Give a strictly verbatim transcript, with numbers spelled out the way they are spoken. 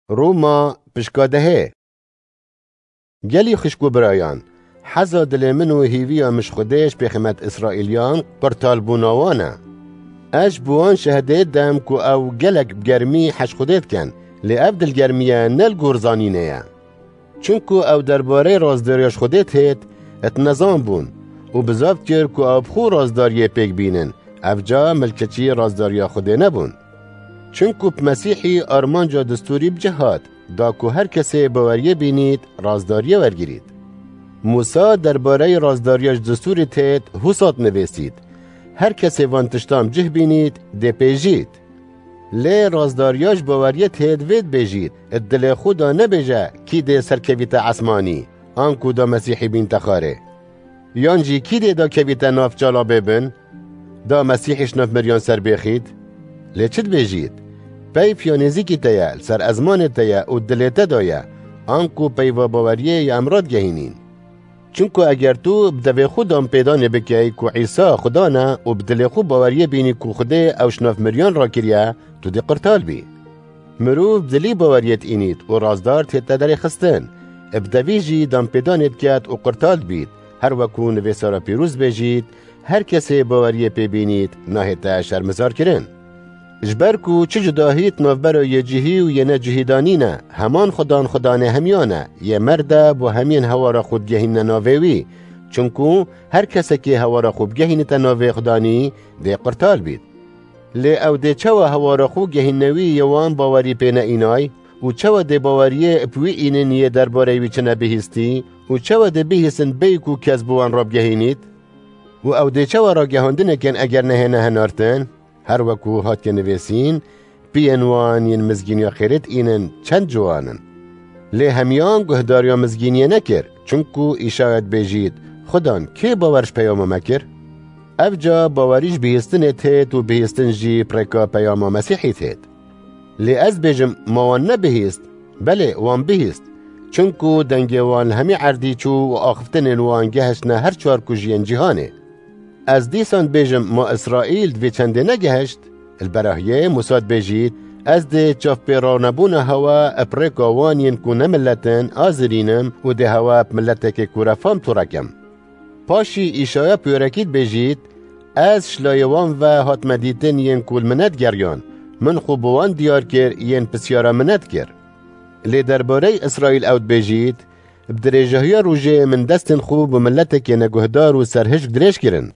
Roma pişka dehê. Gelî xişk û birayan, heza dilê min û hîviya min ji Xwedê ji pêxemet Îsraîliyan qurtalbûna wan e. Ez ji bo wan şehedê dem ku ew gelek bi germî hez ji Xwedê dikin, lê ev dilgermiye ne li gor zanînê ye. Çinku ew derbarê razdariya ji Xwedê têt, et nezan bûn û bizav kir ku ew bi xwe razdariyê pêk bînin, ev ca milkeçî razdariya Xwedê nebûn. Çinku bi Mesîhî armanca distûrî bi cih hat, da ku her kesê baweriyê bînît, razdariyê wergirît. Mûsa derbareyî razdariya ji distûrî têt, hûsat nivêsît. Her kesê van tiştan bi cih bînît, dê pêjît. Lê razdariya ji baweriyê têt vê dibêjît, di dilê xwe da nebêje, kî dê serkevîte esmanî, anku da Mesîhî bînte xarê. Yan jî kî dê da kevîte nav çalabê bin, da Mesîhî ji nav miriyan ser bêxît? Lê çi dibêjît? Peyv ya nêzîkî te ye, li ser ezmanê te ye û dilê te da ye, anku peyva baweriyê ya em radigehînîn. Çinku eger tu bi devê xwe danpêdanê bikey ku Îsa Xudan e û bi dilê xwe baweriyê bînî ku Xwedê ew ji nav miriyan rakiriye, tu dê qurtal bî. Mirov bi dilî baweriyê diînît û razdar tête derêxistin. Bi devî jî danpêdanê diket û qurtal dibît. Her weku nivêsara pîroz bêjît, her kesê baweriyê pê bînît, nahête şermizarkirin. Ji ber ku çi cudahî di navbera yê cihî û yê necihî da nîne, heman Xudan Xudanê hemiyan e, yê merde bo hemiyên hewara xwe digehînine navê wî. Çinku her kesekê hewara xwe bigehînite navê Xudanî, dê qurtal bît. Lê ew dê çawa hewara xwe gehînne wî yê wan bawerî pê neînay? Û çawa dê baweriyê bi wî înin yê derbareyê wî çi nebihîstî? Û çawa dê bihîstin bêyî ku kes bi wan rabigehînît? Û ew dê çawa ragihandinê kin eger nehêne henartin? Her weku hatiye nivêsîn, piyên wan yên mizgîniya xêrê diînin çend ciwan in. Lê hemiyan guhdariya mizgîniyê nekir, çinku Îşaya dibêjît, Xudan, kê bawer ji peyama me kir? Ev ca bawerî ji bihîstinê têt û bihîstin jî bi rêka peyama Mesîhî têt. Lê ez bêjim, ma wan nebihîst? Belê, wan bihîst. Çinku dengê wan li hemî erdî çû û axiftinên wan gehiştine her çar kujiyên cîhanê. Ez dîsan dibêjim, ma Îsraîl di vê çendê negehişt? Li berahiyê Mûsa dibêjît, ez dê çavpêranebûna hewa bi rêka wan yên ku ne milet in azirînim û dê hewa bi miletekê ku refam tûre kim. Paşî Îşaya pêrekî dibêjît, ez ji layê wan ve hatime dîtin yên ku li min nedigeriyan. Min xwe bi wan diyar kir, yên pisyara min nedikir. Lê derbarey Îsraîl ew dibêjît, bi dirêjahiya rojê min destên xwe bi miletekê neguhdar û serhişk dirêj kirin.